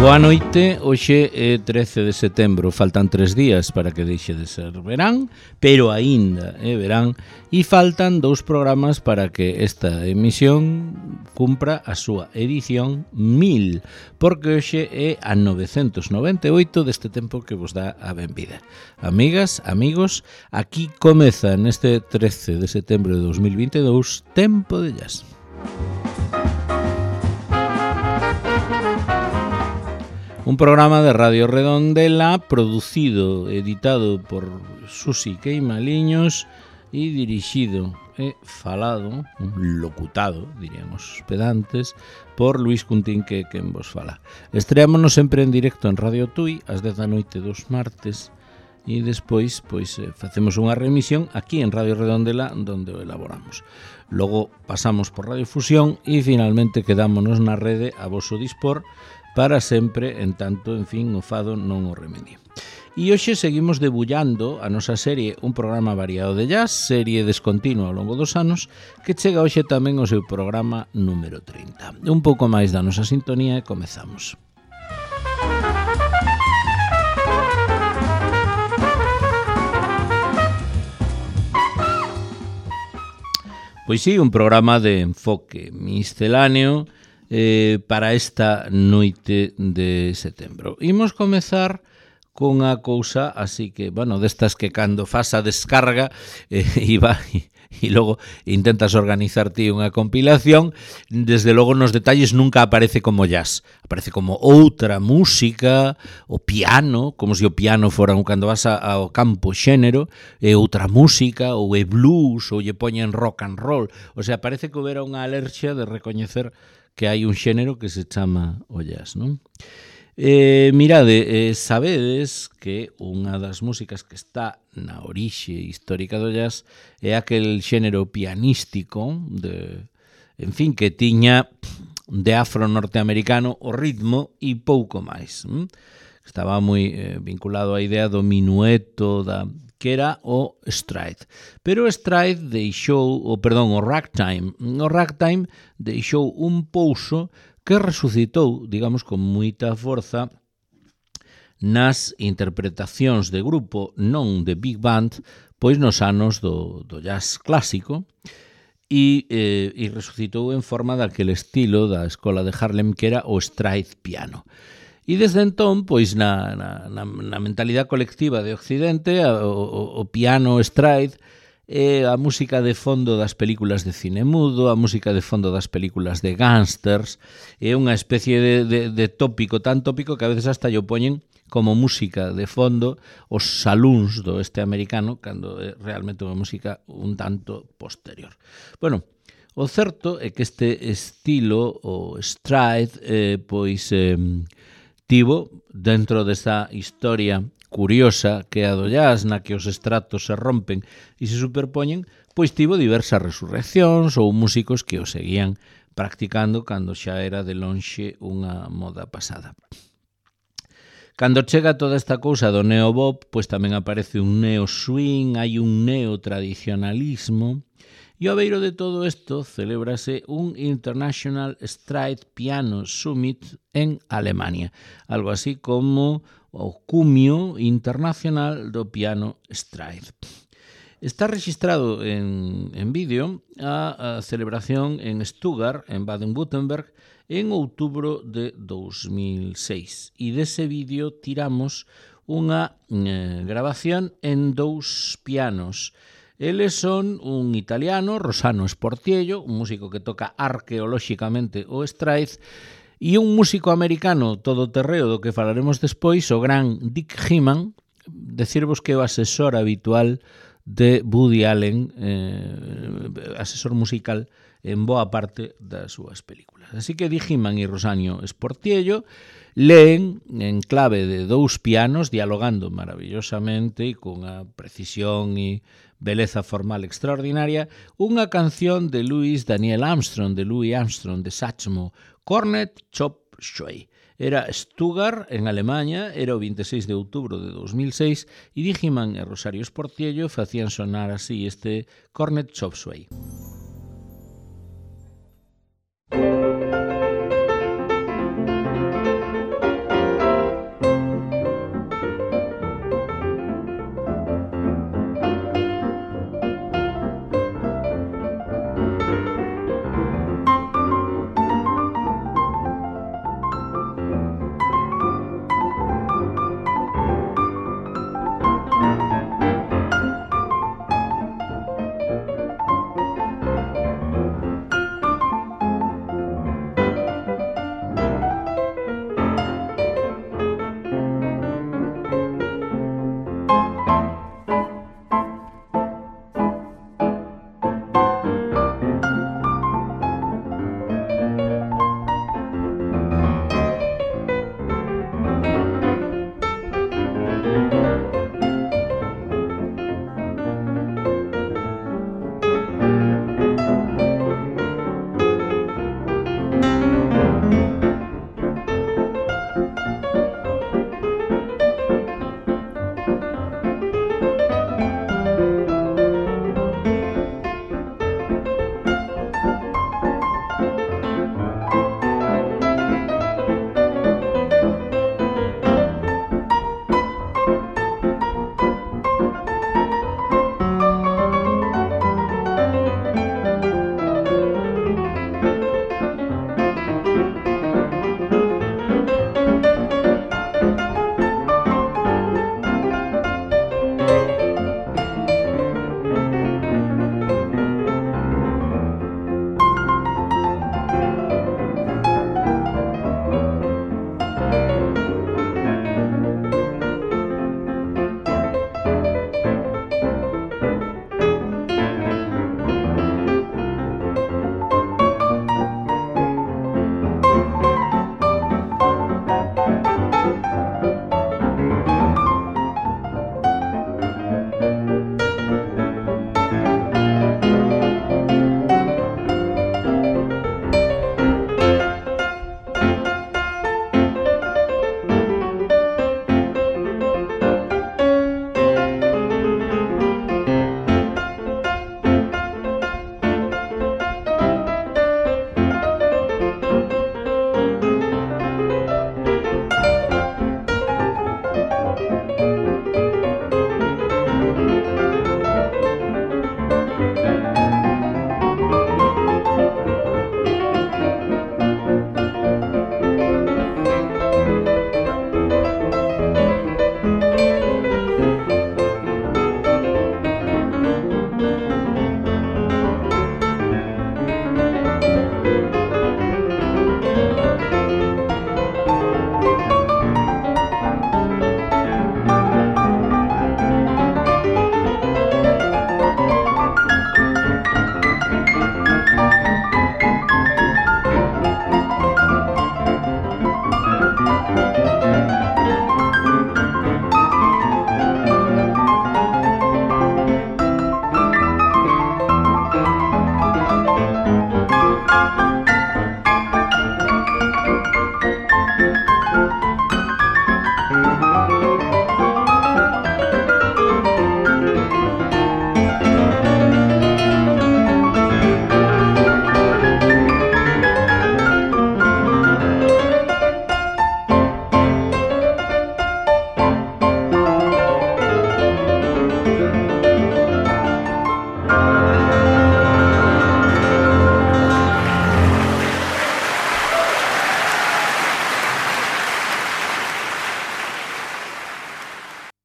Boa noite, hoxe é 13 de setembro, faltan 3 días para que deixe de ser verán, pero aínda é verán, e faltan 2 programas para que esta emisión cumpra a súa edición 1000, porque hoxe é a 998 deste tempo que vos dá a benvida. Amigas, amigos, aquí comeza neste 13 de setembro de 2022 Tempo de Jazz. Un programa de Radio Redondela producido, editado por Susi Queimaliños e dirixido e falado, locutado, diríamos pedantes, por Luis Cuntín, que quen vos fala. Estreámonos sempre en directo en Radio Tui ás 10 da noite dos martes e despois facemos unha remisión aquí en Radio Redondela onde o elaboramos. Logo pasamos por Radio Fusión e finalmente quedámonos na rede a voso dispor para sempre, en tanto, en fin, o fado non o remedie. E hoxe seguimos debullando a nosa serie Un programa variado de jazz, serie descontinua ao longo dos anos, que chega hoxe tamén ao seu programa número 30. Un pouco máis da nosa sintonía e comezamos. Pois sí, un programa de enfoque misceláneo para esta noite de setembro. Imos comezar con a cousa, así que, bueno, destas que cando fas a descarga e logo intentas organizar ti unha compilación, desde logo nos detalles nunca aparece como jazz, aparece como outra música, o piano, como se o piano fora cando vas ao campo xénero, é outra música, ou é blues, ou lle poñen rock and roll, o sea, parece que houbera unha alerxia de recoñecer que hai un xénero que se chama o jazz, non? Mirade, sabedes que unha das músicas que está na orixe histórica do jazz é aquel xénero pianístico en fin, que tiña de afro-norteamericano o ritmo e pouco máis. Estaba moi vinculado á idea do minueto, que era o stride. Pero o stride deixou, o ragtime. O ragtime deixou un pouso que resucitou, digamos, con moita forza nas interpretacións de grupo, non de big band, pois nos anos do jazz clásico, e resucitou en forma daquele estilo da escola de Harlem que era o stride piano. E desde entón, pois na mentalidade colectiva de Occidente, o piano stride é a música de fondo das películas de cine mudo, a música de fondo das películas de gángsters, é unha especie de tópico, tan tópico que a veces hasta lle poñen como música de fondo os salúns do oeste americano, cando é realmente unha música un tanto posterior. Bueno, o certo é que este estilo, o stride, tivo, dentro desta historia curiosa que é a do jazz, na que os estratos se rompen e se superpoñen, pois tivo diversas resurreccións ou músicos que o seguían practicando cando xa era de lonxe unha moda pasada. Cando chega toda esta cousa do neo-bop, pois tamén aparece un neo-swing, hai un neo-tradicionalismo. E ao beiro de todo isto celébrase un International Stride Piano Summit en Alemania, algo así como o cumio internacional do piano stride. Está registrado en vídeo a celebración en Stuttgart, en Baden-Württemberg, en outubro de 2006. E dese vídeo tiramos unha grabación en 2 pianos. Eles son un italiano, Rossano Sportiello, un músico que toca arqueolóxicamente o stride, e un músico americano todoterreo do que falaremos despois, o gran Dick Hyman, decirvos que é o asesor habitual de Woody Allen, asesor musical en boa parte das súas películas. Así que Dick Hyman e Rossano Sportiello leen en clave de 2 pianos, dialogando maravillosamente e con a precisión e beleza formal extraordinaria, unha canción de Louis Armstrong, de Satchmo, Cornet Chop Suey. Era Stuttgart, en Alemanha, era o 26 de outubro de 2006, e Dick Hyman e Rosario Sportiello facían sonar así este Cornet Chop Suey.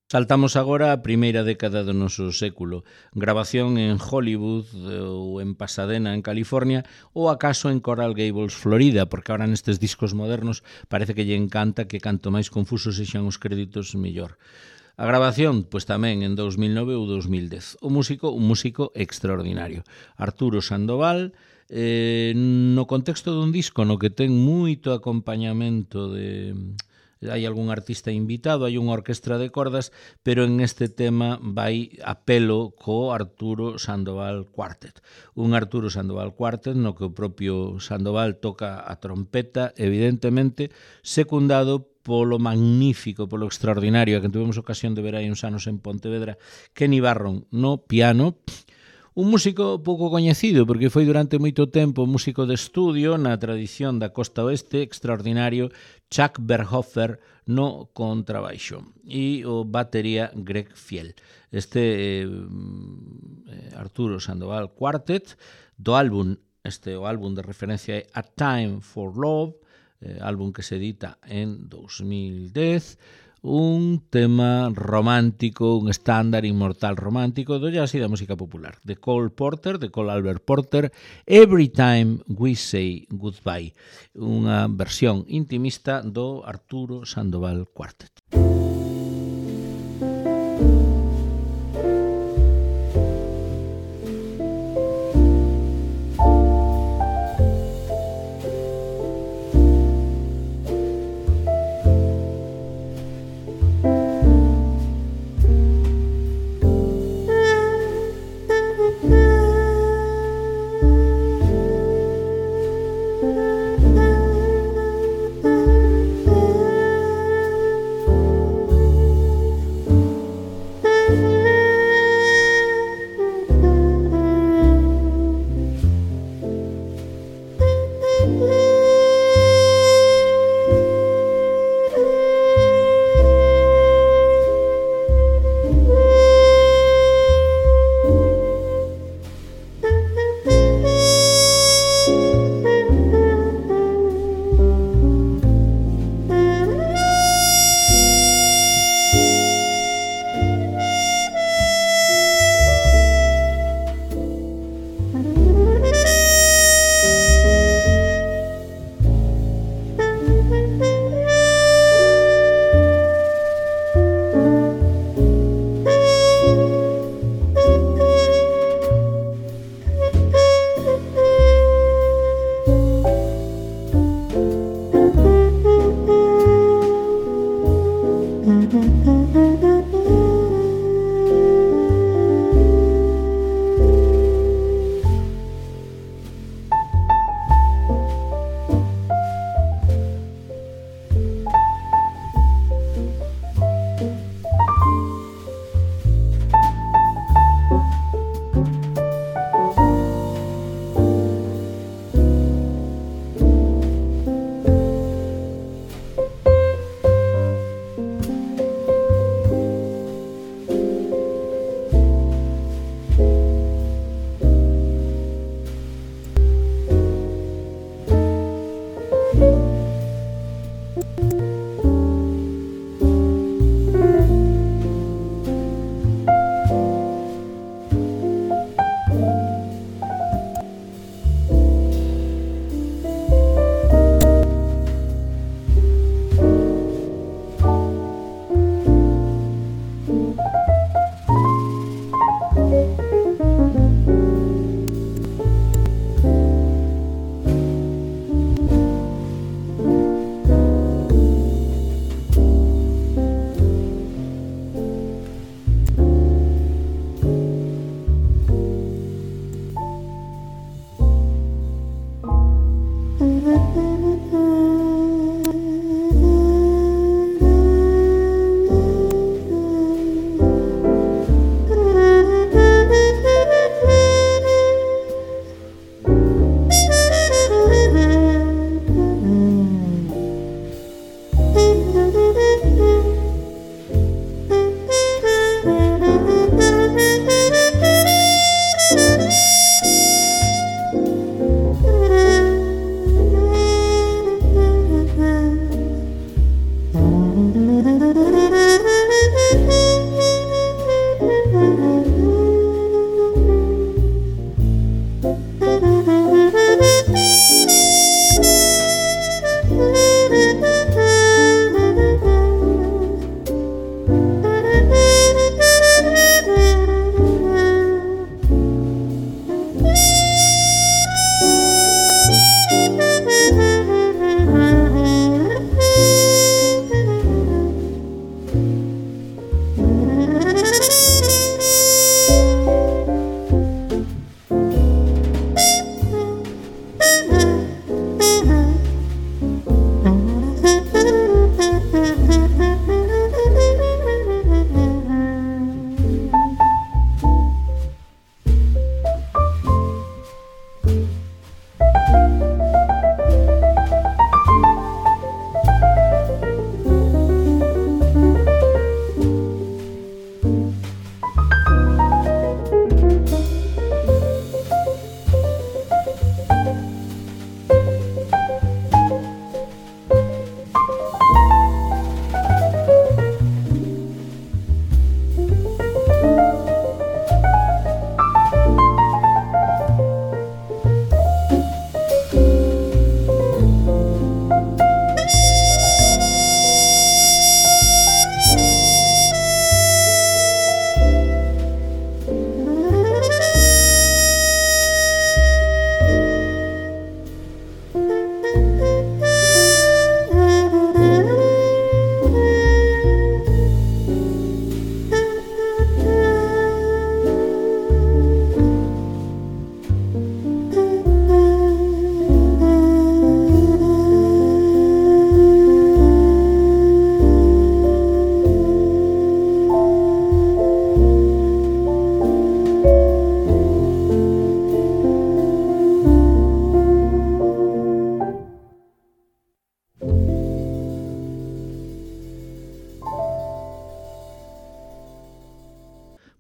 Saltamos agora á primeira década do noso século. Grabación en Hollywood ou en Pasadena, en California, ou acaso en Coral Gables, Florida, porque ahora nestes discos modernos parece que lle encanta que canto máis confusos sexan os créditos, mellor. A grabación, pois tamén en 2009 ou 2010. Un músico extraordinario. Arturo Sandoval, no contexto dun disco no que ten moito acompañamento de... Hai algún artista invitado, hai unha orquestra de cordas, pero en este tema vai a pelo co Arturo Sandoval Quartet. Un Arturo Sandoval Quartet no que o propio Sandoval toca a trompeta, evidentemente, secundado polo magnífico, polo extraordinario, a que tuvemos ocasión de ver hai uns anos en Pontevedra, Kenny Barron no piano. Un músico pouco coñecido, porque foi durante moito tempo músico de estudio na tradición da costa oeste, extraordinario, Chuck Berhofer no contrabaixo e o batería Greg Fiel. Este Arturo Sandoval Quartet do álbum, o álbum de referencia é A Time for Love, álbum que se edita en 2010, un tema romántico, un estándar inmortal romántico do jazz e da música popular, de Cole Albert Porter, Every Time We Say Goodbye, unha versión intimista do Arturo Sandoval Quartet.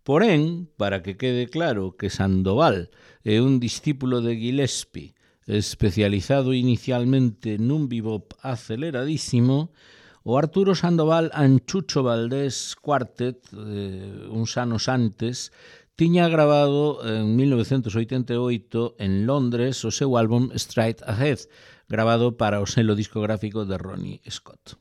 Porén, para que quede claro que Sandoval é un discípulo de Gillespie, especializado inicialmente nun bebop aceleradísimo, o Arturo Sandoval and Chucho Valdés Quartet, uns anos antes, tiña grabado en 1988 en Londres o seu álbum Straight Ahead, grabado para o selo discográfico de Ronnie Scott.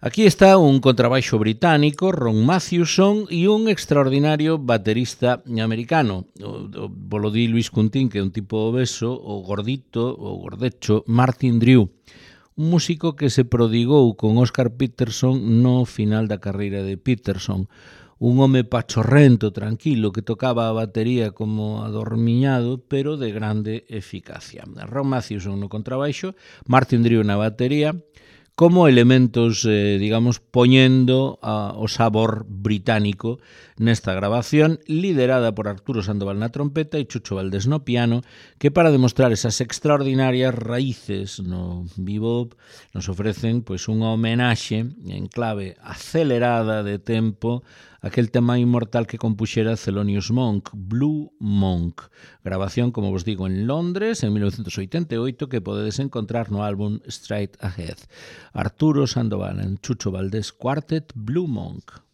Aquí está un contrabaixo británico, Ron Mathewson, e un extraordinario baterista americano. Volo di Luis Cuntín, que é un tipo obeso, o gordito, o gordecho, Martin Drew, un músico que se prodigou con Oscar Peterson no final da carreira de Peterson, un home pachorrento, tranquilo, que tocaba a batería como adormiñado, pero de grande eficacia. Ron Mathewson no contrabaixo, Martin Drew na batería, como elementos, digamos, poñendo o sabor británico nesta grabación, liderada por Arturo Sandoval na trompeta e Chucho Valdés no piano, que para demostrar esas extraordinarias raíces no bebop nos ofrecen pois unha homenaxe en clave acelerada de tempo aquel tema inmortal que compuxera Thelonious Monk, Blue Monk, grabación, como vos digo, en Londres en 1988, que podedes encontrar no álbum Straight Ahead. Arturo Sandoval en Chucho Valdés Quartet, Blue Monk.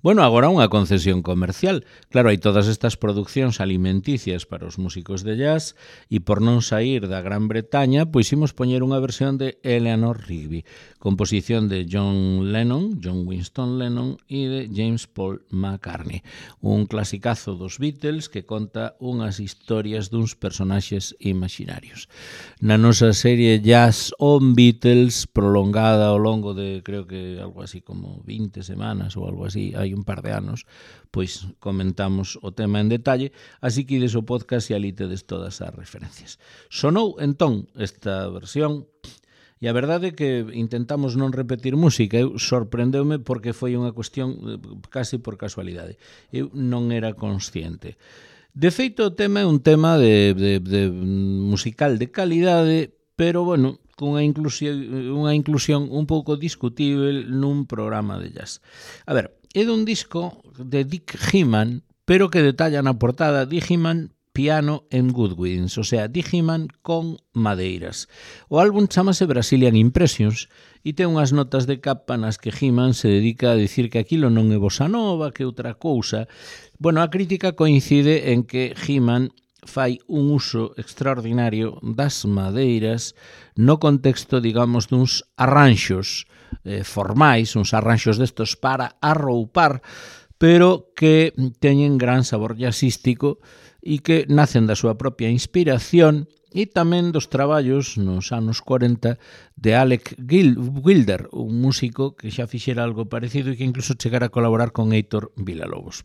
Bueno, agora unha concesión comercial. Claro, hai todas estas producións alimenticias para os músicos de jazz e por non sair da Gran Bretaña, pois imos poñer unha versión de Eleanor Rigby, composición de John Winston Lennon e de James Paul McCartney. Un clasicazo dos Beatles que conta unhas historias duns personaxes imaginarios. Na nosa serie Jazz on Beatles, prolongada ao longo de, creo que algo así como 20 semanas ou algo así, hai un par de anos, pois comentamos o tema en detalle, así que ides o podcast e ali tedes todas as referencias. Sonou entón esta versión, e a verdade é que intentamos non repetir música. Eu sorprendeume porque foi unha cuestión casi por casualidade. Eu non era consciente. De feito, o tema é un tema de musical de calidade, pero, bueno, cunha inclusión un pouco discutível nun programa de jazz. A ver, é dun disco de Dick Hyman, pero que detalla na portada Dick Hyman Piano and Woodwinds, o sea, Dick Hyman con madeiras. O álbum chamase Brazilian Impressions e ten unhas notas de capa nas que Hyman se dedica a dicir que aquilo non é bossa nova, que outra cousa. Bueno, a crítica coincide en que Hyman fai un uso extraordinario das madeiras no contexto, digamos, duns arranxos formais, uns arranxos destos para arroupar, pero que teñen gran sabor jazzístico e que nacen da súa propia inspiración e tamén dos traballos nos anos 40 de Alec Wilder, un músico que xa fixera algo parecido e que incluso chegara a colaborar con Heitor Villa-Lobos.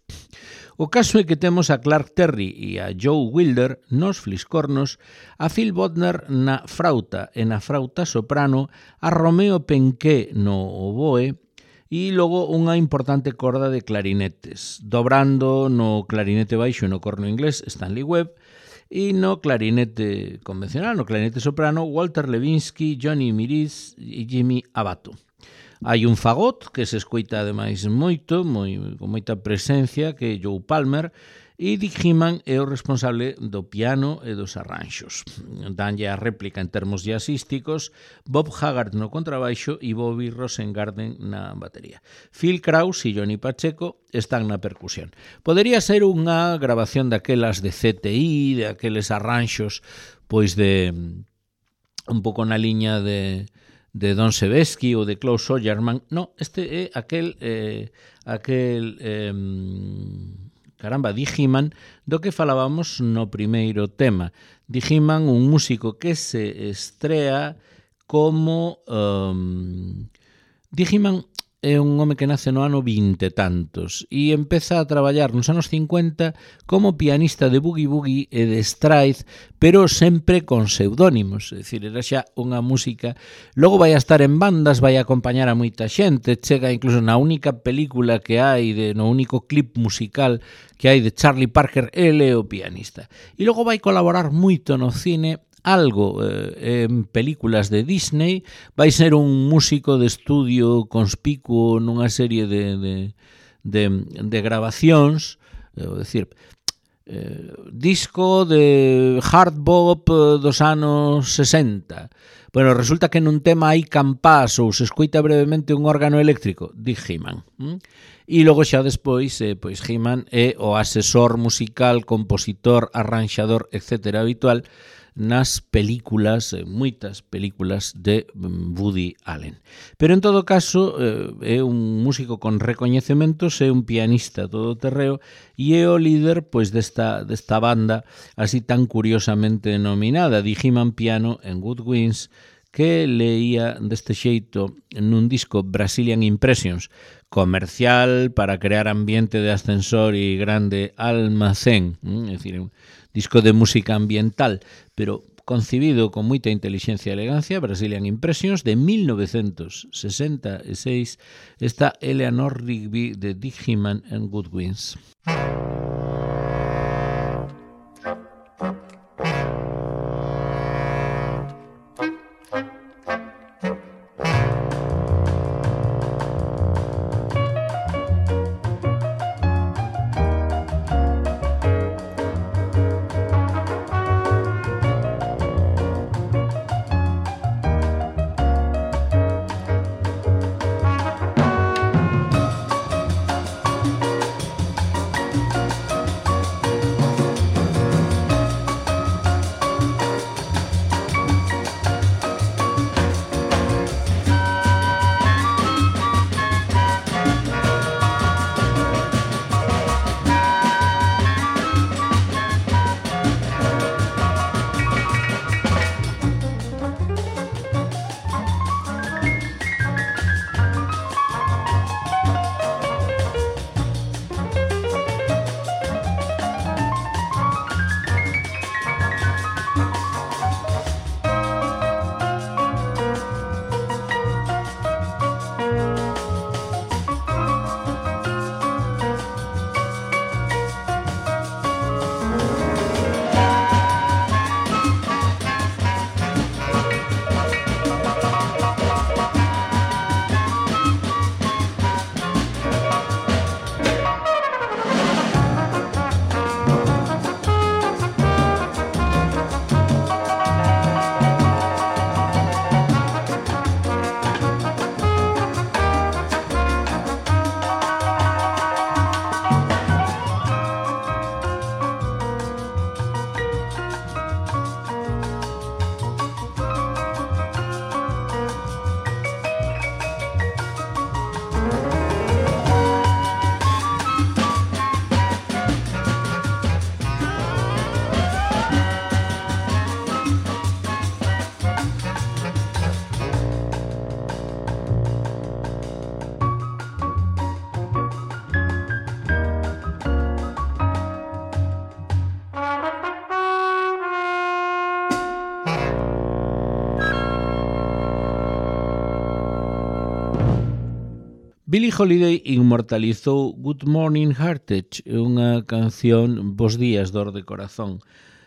O caso é que temos a Clark Terry e a Joe Wilder nos fliscornos, a Phil Bodner na frauta e na frauta soprano, a Romeo Penqué no oboe e logo unha importante corda de clarinetes, dobrando no clarinete baixo e no corno inglés Stanley Webb, e no clarinete convencional, no clarinete soprano, Walter Levinsky, Johnny Miriz e Jimmy Abato. Hai un fagot que se escoita ademais moito, con moita presencia, que é Joe Palmer, e Dick Hyman é o responsable do piano e dos arranxos. Danlle a réplica en termos jazzísticos Bob Haggart no contrabaixo e Bobby Rosengarten na batería. Phil Krause e Johnny Pacheco están na percusión. Podería ser unha grabación daquelas de CTI, de aqueles arranxos pois de un pouco na liña de Don Sebesky ou de Klaus Oyerman. No, este é Dick Hyman, do que falábamos no primeiro tema. Dick Hyman, un músico que se estrea como... Dick Hyman é un home que nace no ano 20 e tantos e empeza a traballar nos anos 50 como pianista de boogie-woogie e de stride, pero sempre con pseudónimos, é dicir, era xa unha música. Logo vai a estar en bandas, vai a acompañar a moita xente, chega incluso na única película que hai, no único clip musical que hai de Charlie Parker, ele é o pianista. E logo vai colaborar moito no cine, algo en películas de Disney, vai ser un músico de estudio conspicuo nunha serie de grabacións, é dicir, disco de hard bop dos anos 60. Bueno, resulta que nun tema hai campás ou se escoita brevemente un órgano eléctrico, Dick Hyman. E logo xa despois, pois Hyman é o asesor musical, compositor, arranxador, etc. habitual nas películas, moitas películas de Woody Allen. Pero en todo caso é un músico con recoñecementos, é un pianista todoterreo e é o líder pois desta banda así tan curiosamente denominada Dick Hyman Piano and Woodwinds, que leía deste xeito nun disco Brazilian Impressions, comercial para crear ambiente de ascensor e grande almacén, é dicir, un disco de música ambiental, pero concibido con moita inteligencia e elegancia. Brazilian Impressions de 1966, está Eleanor Rigby de Dick Hyman and Woodwinds. Billie Holiday inmortalizou Good Morning Heartache, unha canción Bos días, dor de corazón,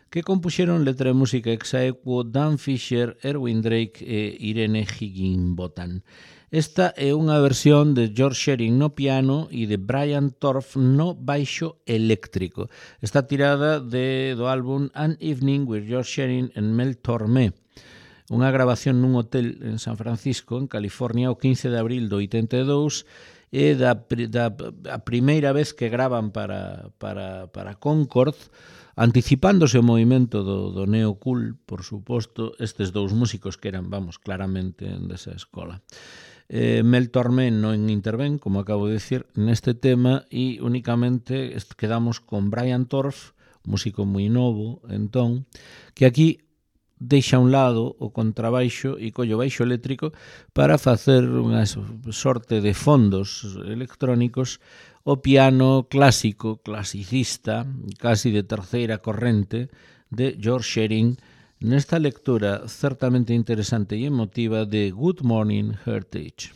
que compuxeron letra e música ex aequo Dan Fisher, Erwin Drake e Irene Higginbotham. Esta é unha versión de George Shearing no piano e de Brian Torff no baixo eléctrico. Está tirada do álbum An Evening with George Shearing and Mel Tormé, unha grabación nun hotel en San Francisco, en California, o 15 de abril do 82, e a primeira vez que graban para Concord, anticipándose o movimento do neo-cool, por suposto, estes dous músicos que eran, claramente desa escola. Mel Tormé non intervén, como acabo de dicir, neste tema, e únicamente quedamos con Brian Torff, músico moi novo, entón, que aquí deixa a un lado o contrabaixo e colle o baixo eléctrico para facer unha sorte de fondos electrónicos o piano clásico, clasicista, casi de terceira corrente, de George Shearing, nesta lectura certamente interesante e emotiva de Good Morning Heartache.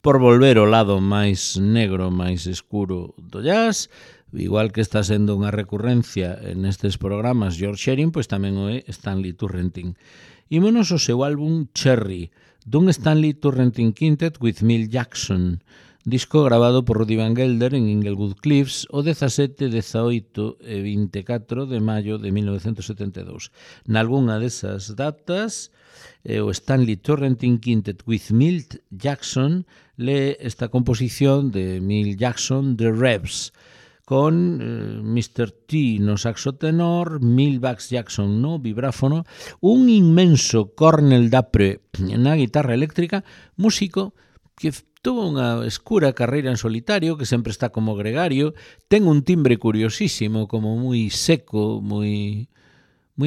por volver ao lado máis negro, máis escuro do jazz. Igual que está sendo unha recurrencia nestes programas George Shearing, pois tamén o é Stanley Turrentine. Ímonos ao seu álbum Cherry, dun Stanley Turrentine Quintet with Milt Jackson, disco grabado por Rudy Van Gelder en Inglewood Cliffs o 17, 18 e 24 de maio de 1972. Nalgúna desas datas, o Stanley Turrentine Quintet with Milt Jackson lee esta composición de Milt Jackson, The Revs, con Mr. T no saxo tenor, Milt Bax Jackson no vibráfono, un inmenso Cornell Dapre na guitarra eléctrica, músico que tuvo unha escura carreira en solitario, que sempre está como gregario, ten un timbre curiosísimo, como moi seco, moi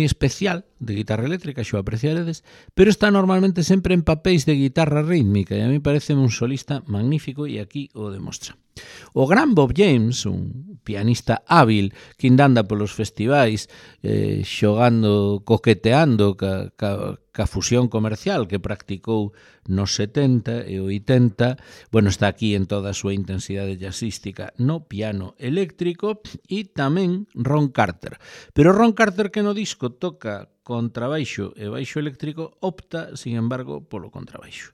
especial, de guitarra eléctrica, xo apreciaredes, pero está normalmente sempre en papéis de guitarra rítmica, e a mí parece un solista magnífico, e aquí o demostra. O gran Bob James, un pianista hábil que anda polos festivais xogando, coqueteando ca fusión comercial que practicou nos 70 e 80, bueno, está aquí en toda a súa intensidade jazzística no piano eléctrico, e tamén Ron Carter. Pero Ron Carter, que no disco toca contrabaixo e baixo eléctrico, opta, sin embargo, polo contrabaixo.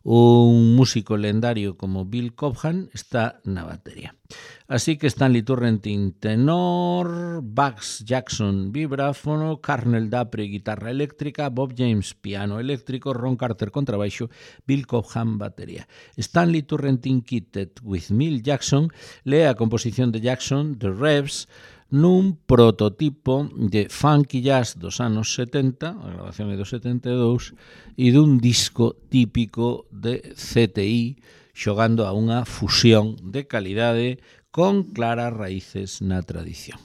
Un músico lendario como Bill Cobham está na batería. Así que Stanley Turrentine tenor, Bax Jackson vibráfono, Cornell Dapre guitarra eléctrica, Bob James piano eléctrico, Ron Carter contrabaixo, Bill Cobham batería. Stanley Turrentine Quintet with Milt Jackson lee a composición de Jackson, The Revs, nun prototipo de funky jazz dos anos 70, a grabación é do 72, e dun disco típico de CTI xogando a unha fusión de calidade con claras raíces na tradición.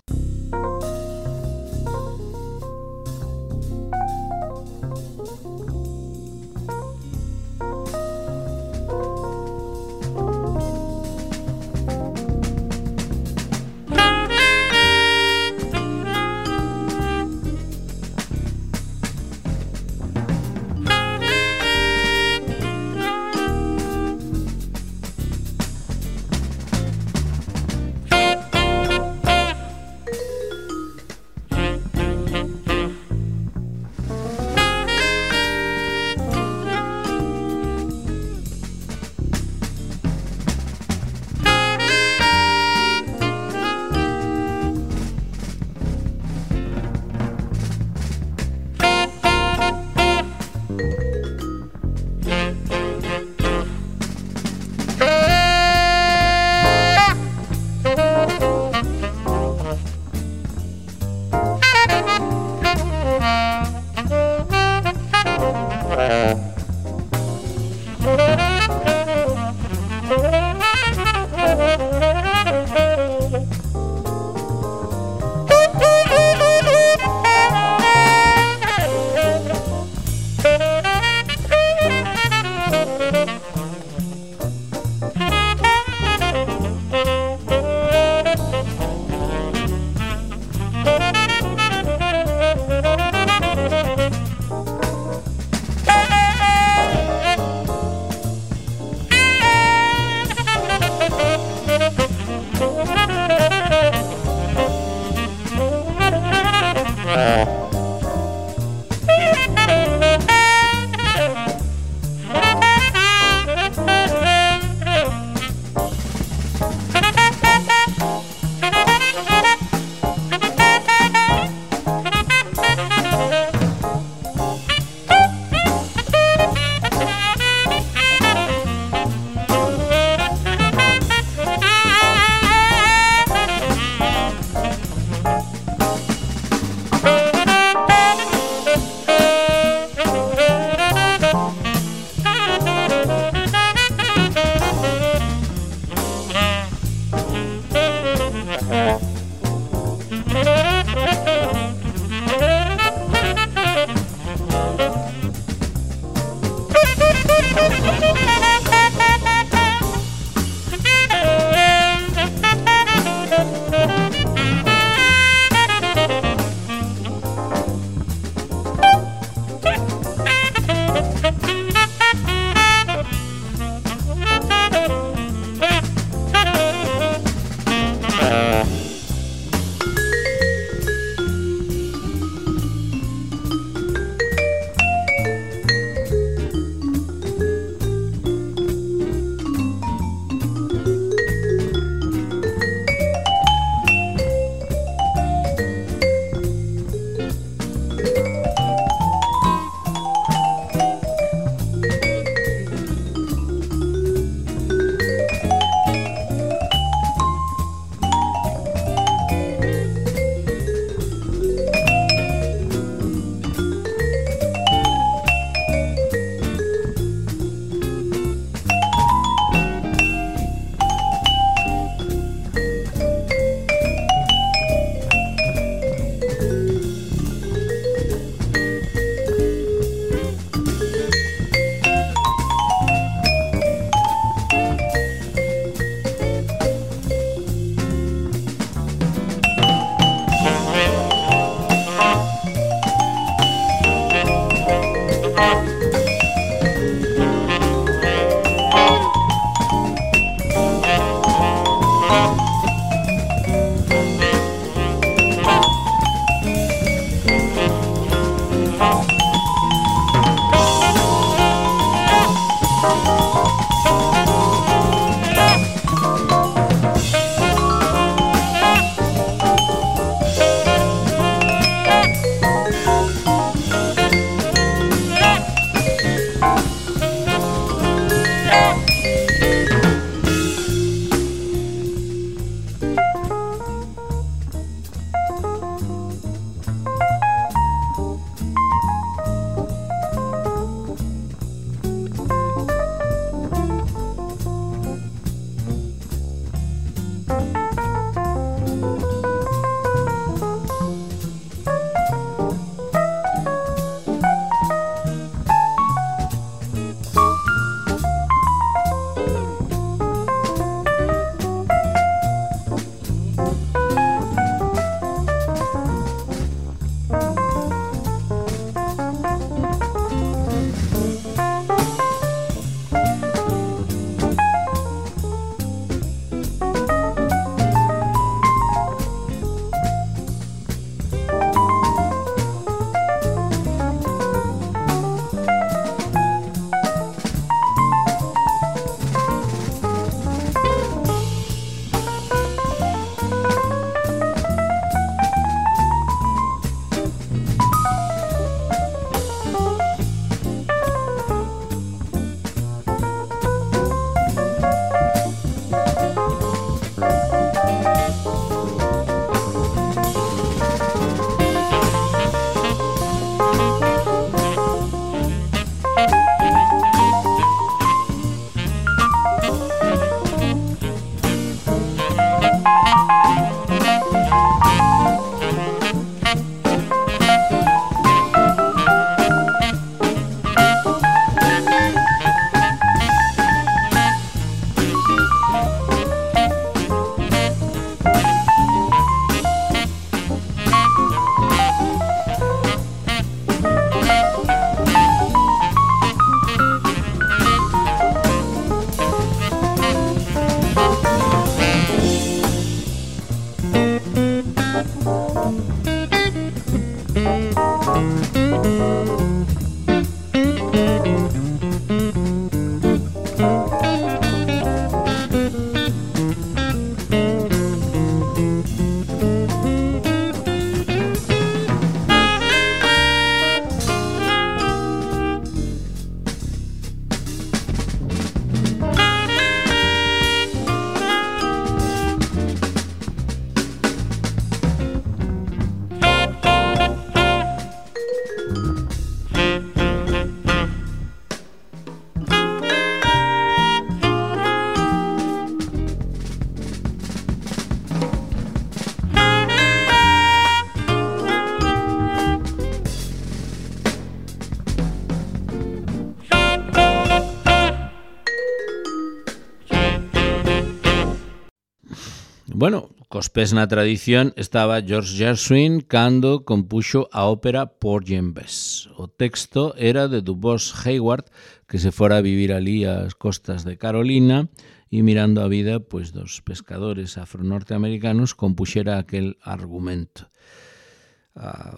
Bueno, cos pés na tradición estaba George Gershwin cando compuxo a ópera Porgy and Bess. O texto era de Dubois Hayward, que se fora a vivir ali ás costas de Carolina e mirando a vida pois dos pescadores afro-norteamericanos compuxera aquel argumento.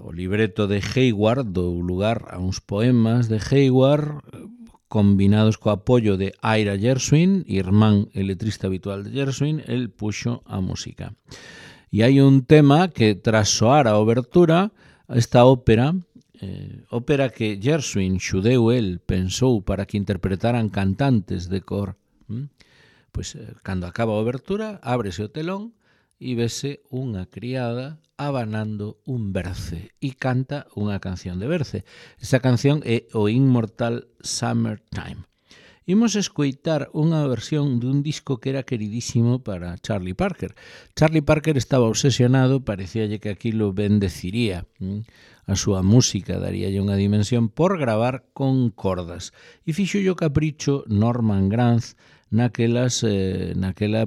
O libreto de Hayward dou lugar a uns poemas de Hayward combinados co apoio de Ira Gershwin, irmán e letrista habitual de Gershwin, el puxo a música. E hai un tema que, tras soar a obertura, esta ópera, ópera que Gershwin, xudeu el, pensou para que interpretaran cantantes de cor. Pois, cando acaba a obertura, ábrese o telón e vese unha criada abanando un berce e canta unha canción de berce. Esa canción é o inmortal Summertime. Imos escoitar unha versión dun disco que era queridísimo para Charlie Parker. Charlie Parker estaba obsesionado, parecíalle que aquilo bendeciría a súa música, daríalle unha dimensión por gravar con cordas. E fixolle o capricho Norman Granz naquela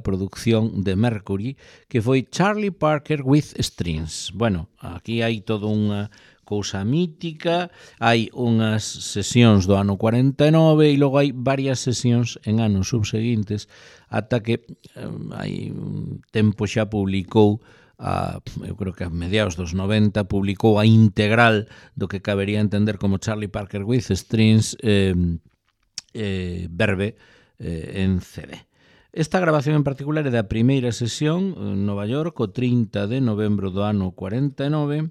producción de Mercury que foi Charlie Parker with Strings. Bueno, aquí hai toda unha cousa mítica, hai unhas sesións do ano 49 e logo hai varias sesións en anos subseguintes ata que hai un tempo xa publicou eu creo que a mediados dos 90 publicou a integral do que cabería entender como Charlie Parker with Strings Verve en CD. Esta grabación en particular é da primeira sesión en Nova York, o 30 de novembro do ano 49,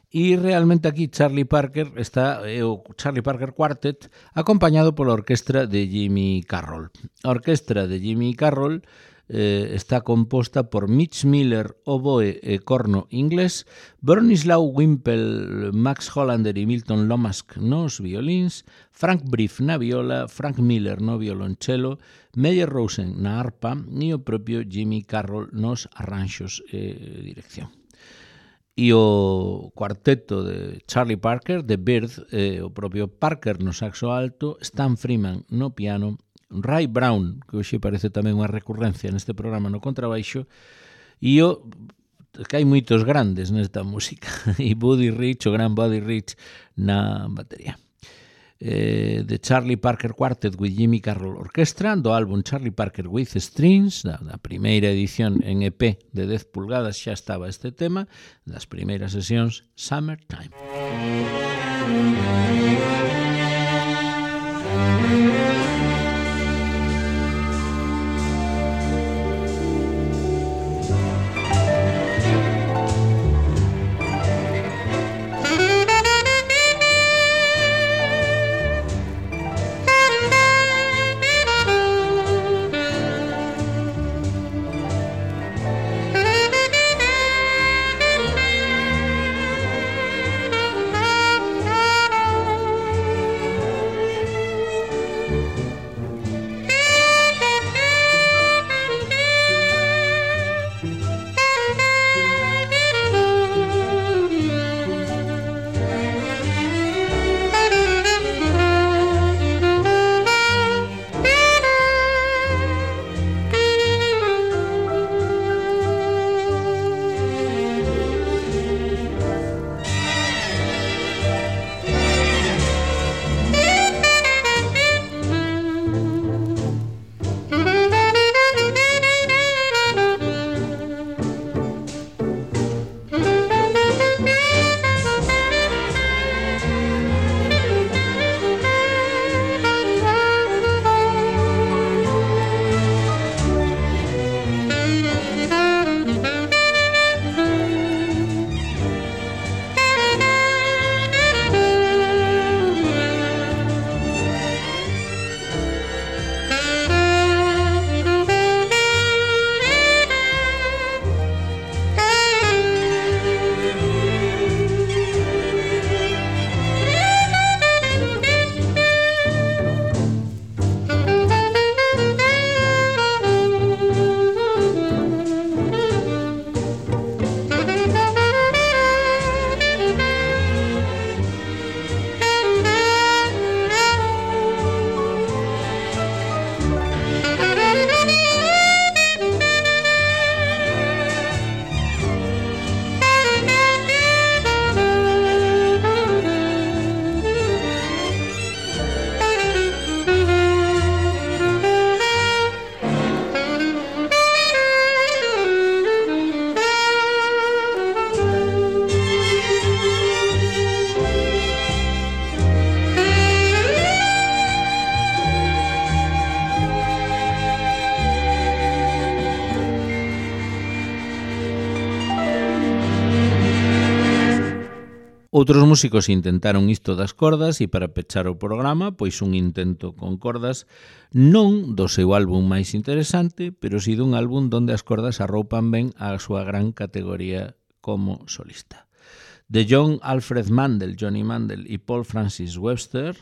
e realmente aquí Charlie Parker está o Charlie Parker Quartet acompañado pola orquestra de Jimmy Carroll. A orquestra de Jimmy Carroll está composta por Mitch Miller, oboe e corno inglés, Bronislaw Wimpel, Max Hollander e Milton Lomask nos violíns, Frank Brief na viola, Frank Miller no violonchelo, Meyer Rosen na arpa e o propio Jimmy Carroll nos arranxos e dirección. E o cuarteto de Charlie Parker, The Bird, o propio Parker no saxo alto, Stan Freeman no piano, Ray Brown, que hoxe parece tamén unha recurrencia neste programa, no contrabaixo, e que hai moitos grandes nesta música, e Buddy Rich, o gran Buddy Rich na batería. The Charlie Parker Quartet with Jimmy Carroll Orchestra, do álbum Charlie Parker with Strings, da primeira edición en EP de 10 pulgadas xa estaba este tema, das primeiras sesións Summertime. Outros músicos intentaron isto das cordas e para pechar o programa, pois un intento con cordas non do seu álbum máis interesante, pero si dun álbum donde as cordas arroupan ben a súa gran categoría como solista. De John Alfred Mandel, Johnny Mandel e Paul Francis Webster,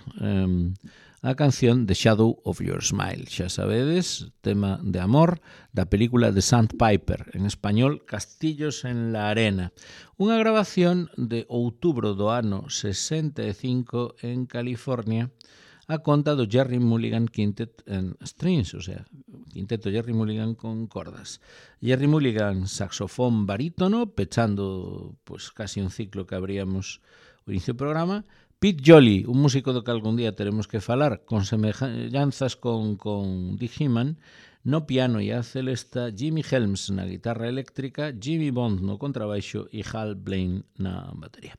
a canción The Shadow of Your Smile, xa sabedes, tema de amor da película The Sandpiper, en español Castillos en la Arena, unha grabación de outubro do ano 65 en California, a conta do Jerry Mulligan Quintet en Strings, o sea, quinteto Jerry Mulligan con cordas. Jerry Mulligan, saxofón barítono, pechando pues casi un ciclo que abríamos o inicio do programa, Pete Jolly, un músico do que algún día teremos que falar, con semellanzas con Dick Heeman, no piano e a celesta, Jimmy Helms na guitarra eléctrica, Jimmy Bond no contrabaixo e Hal Blaine na batería.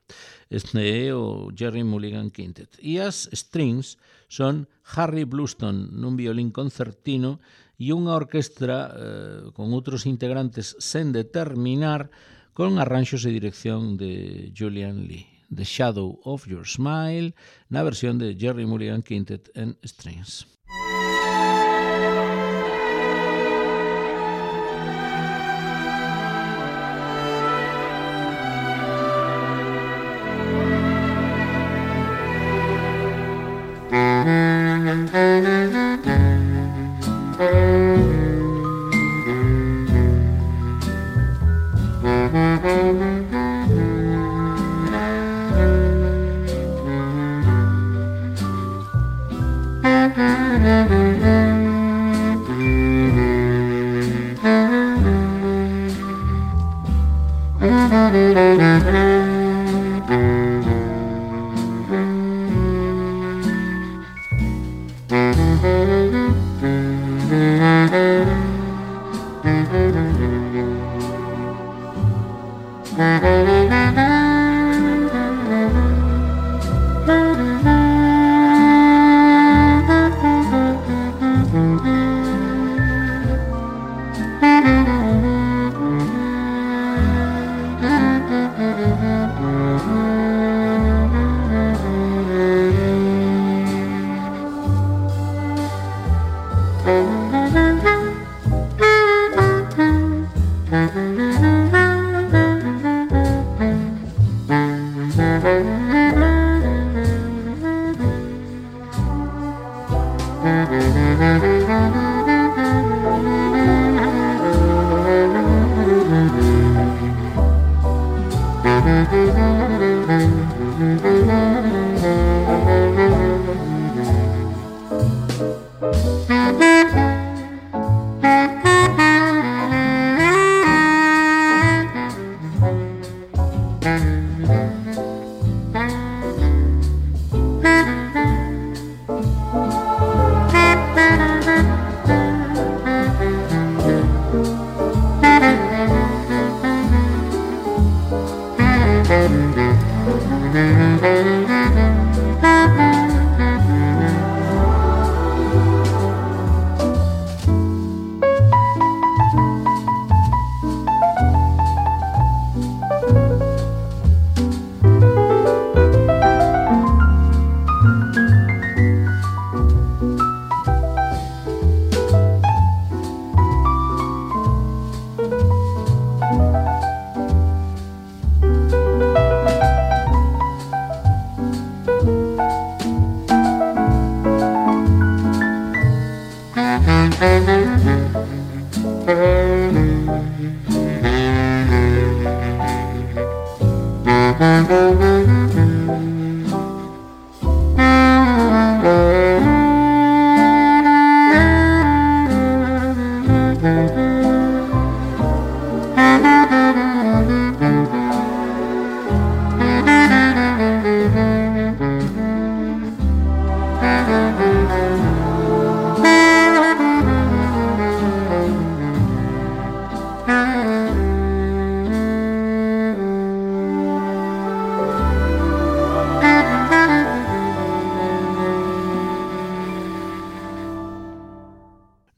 Este é o Jerry Mulligan Quintet. E as strings son Harry Blueston nun violín concertino e unha orquestra con outros integrantes sen determinar, con arranxos e dirección de Julian Lee. The Shadow of Your Smile, na versión de Jerry Mulligan Quintet en Strings.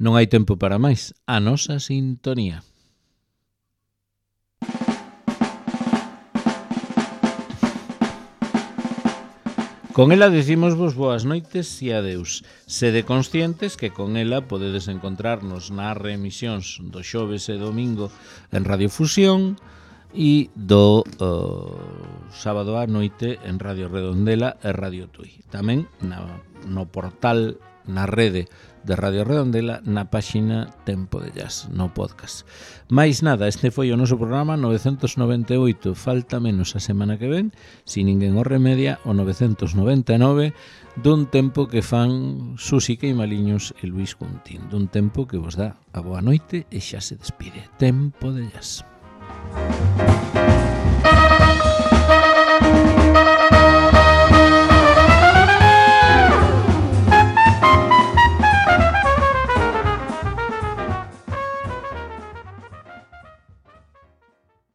Non hai tempo para máis. A nosa sintonía. Con ela dicimosvos boas noites e adeus. Sede conscientes que con ela podedes encontrarnos nas reemisións do xoves e domingo en Radiofusión e do sábado á noite en Radio Redondela e Radio Tui. Tamén no portal, na rede de Radio Redondela, na páxina Tempo de Jazz, no podcast. Mais nada, este foi o noso programa 998, falta menos a semana que ven, si ninguén o remedia, o 999, dun tempo que fan Susi Queimaliños e Luis Cuntín, dun tempo que vos dá a boa noite e xa se despide. Tempo de Jazz.